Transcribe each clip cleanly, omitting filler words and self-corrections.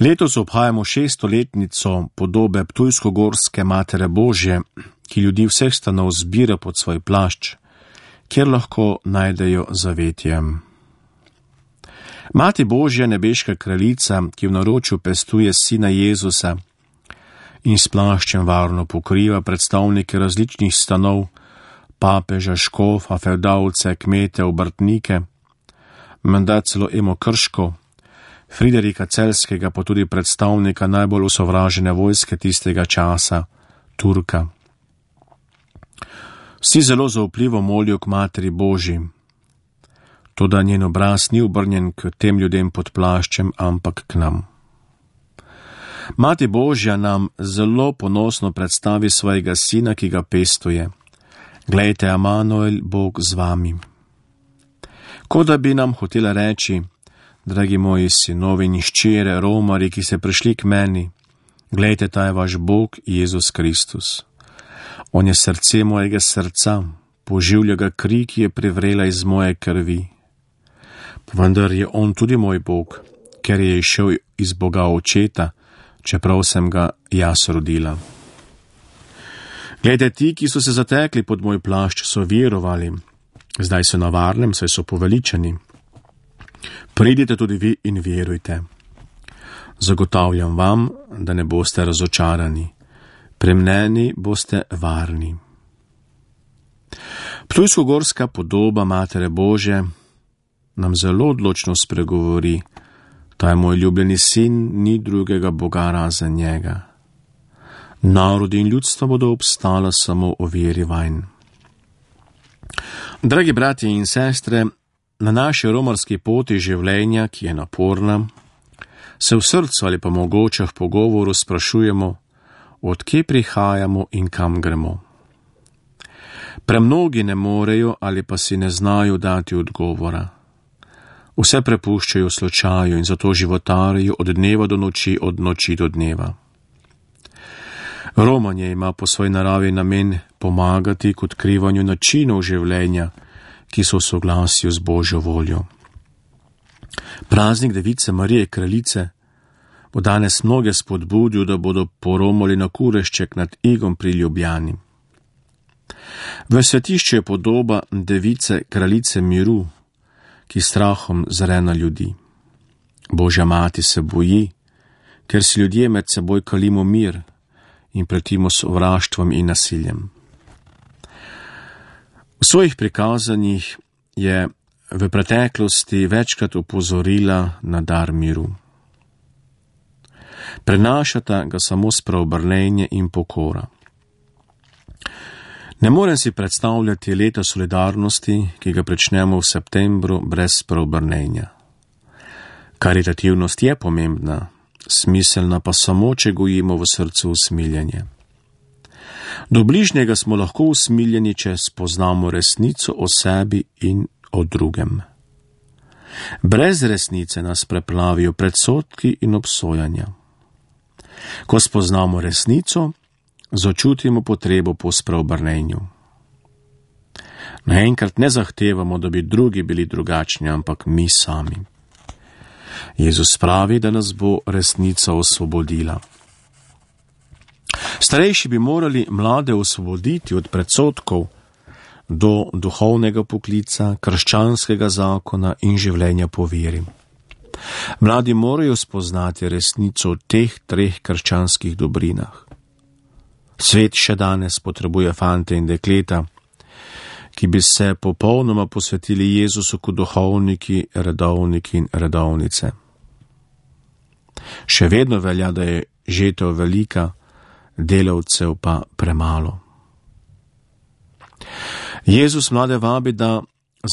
Letos obhajamo 600-letnico podobe ptujsko-gorske Matere Božje, ki ljudi vseh stanov zbira pod svoj plašč, kjer lahko najdejo zavetje. Mati Božja, nebeška kraljica, ki v naročju pestuje sina Jezusa in s plaščem varno pokriva predstavnike različnih stanov, papeža, škofa, fevdalce, kmete, obrtnike, menda celo Emo Krško, Friderika Celjskega, pa tudi predstavnika najbolj osovražene vojske tistega časa, Turka. Vsi zelo zaupljivo molijo k Materi Božji, toda njen obraz ni obrnjen k tem ljudem pod plaščem, ampak k nam. Mati Božja nam zelo ponosno predstavi svojega sina, ki ga pestuje. Glejte, Emanuel, Bog z vami. Kot da bi nam hotela reči: dragi moji sinovi in hčere, romarji, ki ste prišli k meni, glejte, ta je vaš Bog, Jezus Kristus. On je srce mojega srca, poživlja ga kri, ki je privrela iz moje krvi. Vendar je on tudi moj Bog, ker je išel iz Boga Očeta, čeprav sem ga jaz rodila. Glejte, ti, ki so se zatekli pod moj plašč, so verovali, zdaj so na varnem, saj so poveličani. Pridite tudi vi in verujte. Zagotavljam vam, da ne boste razočarani. Pri meni boste varni. Ptujsko-gorska podoba Matere Božje nam zelo odločno spregovori: ta je moj ljubljeni sin, ni drugega Boga razen njega. Narodi in ljudstva bodo obstala samo o veri vanj. Dragi bratje in sestre, na naši romarski poti življenja, ki je naporna, se v srcu ali pa mogoče v pogovoru sprašujemo, od kje prihajamo in kam gremo. Premnogi ne morejo ali pa si ne znajo dati odgovora. Vse prepuščajo slučaju in zato životarijo od dneva do noči, od noči do dneva. Romanje ima po svoji naravi namen pomagati k odkrivanju načinov življenja, ki so v soglasju z Božjo voljo. Praznik Device Marije Kraljice bo danes mnoge spodbudil, da bodo poromali na kurešček nad Igom pri Ljubljani. V svetišču je podoba Device Kraljice miru, ki strahom zre na ljudi. Božja mati se boji, ker si ljudje med seboj kalimo mir in pretimo sovraštvom in nasiljem. V svojih prikazanjih je v preteklosti večkrat opozorila na dar miru. Prenašata ga samo spreobrnenje in pokora. Ne morem si predstavljati leta solidarnosti, ki ga pričnemo v septembru, brez spreobrnenja. Karitativnost je pomembna, smiselna pa samo, če gojimo v srcu usmiljenje. Do bližnjega smo lahko usmiljeni, če spoznamo resnico o sebi in o drugem. Brez resnice nas preplavijo predsodki in obsojanja. Ko spoznamo resnico, začutimo potrebo po spreobrnenju. Naenkrat ne zahtevamo, da bi drugi bili drugačni, ampak mi sami. Jezus pravi, da nas bo resnica osvobodila. Starejši bi morali mlade osvoboditi od predsodkov do duhovnega poklica, krščanskega zakona in življenja po veri. Mladi morajo spoznati resnico o teh treh krščanskih dobrinah. Svet še danes potrebuje fante in dekleta, ki bi se popolnoma posvetili Jezusu kot duhovniki, redovniki in redovnice. Še vedno velja, da je žetev velika, delavcev pa premalo. Jezus mlade vabi, da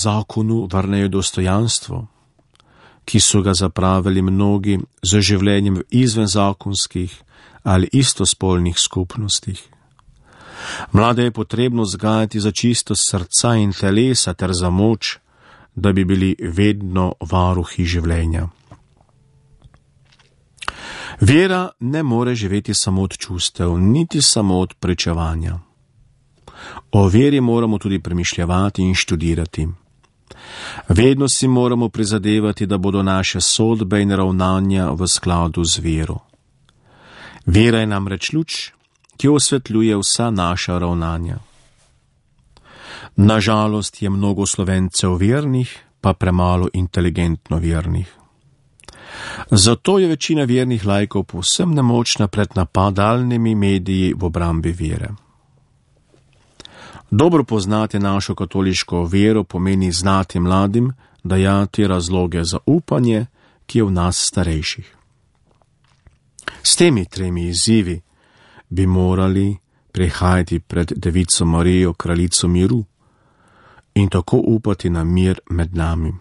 zakonu vrnejo dostojanstvo, ki so ga zapravili mnogi z življenjem v izvenzakonskih ali istospolnih skupnostih. Mlade je potrebno vzgajati za čistost srca in telesa ter za moč, da bi bili vedno varuhi življenja. Vera ne more živeti samo od čustev, niti samo od pričevanja. O veri moramo tudi premišljavati in študirati. Vedno si moramo prizadevati, da bodo naše sodbe in ravnanja v skladu z vero. Vera je namreč luč, ki osvetljuje vsa naša ravnanja. Nažalost je mnogo Slovencev vernih, pa premalo inteligentno vernih. Zato je večina vernih laikov povsem nemočna pred napadalnimi mediji v obrambi vere. Dobro poznati našo katoliško vero pomeni znati mladim dajati razloge za upanje, ki je v nas starejših. S temi 3 izzivi bi morali prihajati pred Devico Marijo, kraljico miru, in tako upati na mir med nami.